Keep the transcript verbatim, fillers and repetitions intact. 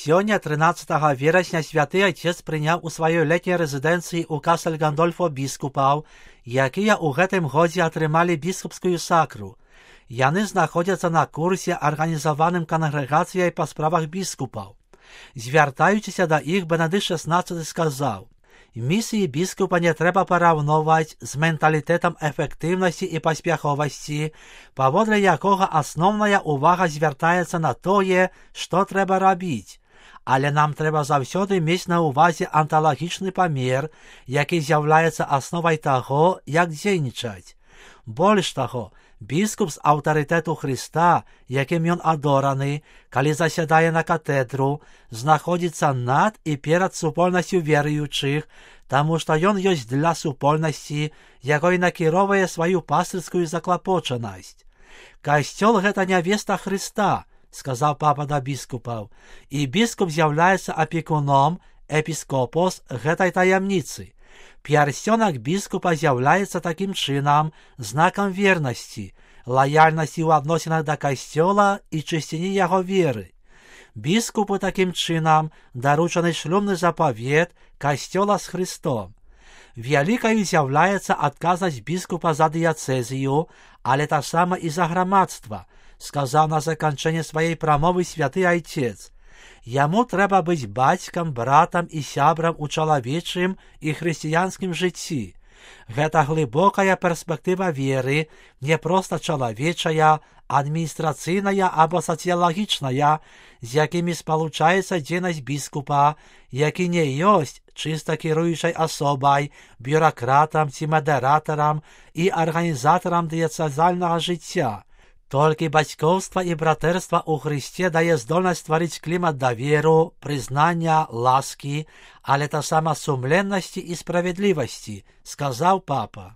Сёння, тринадцатого верасня, святы Отец прыняў у сваёй летняй рэзідэнцыі ў Касtelгандольфо біскупаў, якія ў гэтым годзе атрымалі біскупскую сакру. Яны знаходзяцца на курсе, арганізаваным кангрэгацыяй па справах біскупаў. Звяртаючыся да іх, Бенедыкт шестнадцаты сказаў: «Місіі біскупа не трэба параўноўваць з менталітэтам эфектыўнасці і паспяховасці, паводле якога асноўная ўвага звяртаецца на тое, што трэба рабіць. Але нам трэба заўсёды мець на ўвазе анталагічны памер, які з'яўляецца асновай таго, як дзейнічаць. Больш таго, біскуп з аўтарытэту Хрыста, якім ён адораны, калі засядае на катэдру, знаходзіцца над і перад супольнасцю веруючых, таму што ён ёсць для супольнасці, якой накіроўвае сваю пастырскую заклапочанасць. Касцёл — гэта нявеста Хрыста, сказаў папа да біскупаў, і біскуп з'яўляецца апекуном, эпіскопос гэтай таямніцы. Пярсцёнак біскупа з'яўляецца такім чынам знакам вернасці, лаяльнасці ў адносінах да касцёла і чысціні яго веры. Біскупу такім чынам даручаны шлюбны запавет касцёла з Хрыстом. Вялікаю з'яўляецца адказнасць біскупа за дыяцэзію, але таксама і за грамадства, сказаў на заканчэнне сваёй прамовы святы Айцец. Яму трэба быць бацькам, братам і сябрам у чалавечым і хрысціянскім жыцці. Гэта глыбокая перспектыва веры, не проста чалавечая, адміністрацыйная або сацыялагічная, з якімі спалучаецца дзейнасць біскупа, які не ёсць чыста кіруючай асобай, бюракратам ці мадэратарам і арганізатарам дыяцэзальнага жыцця. Толькі бацькоўства і братэрства ў Хрысце дае здольнасць стварыць клімат даверу, прызнання, ласкі, але таксама сумленнасці і справядлівасці, сказаў папа.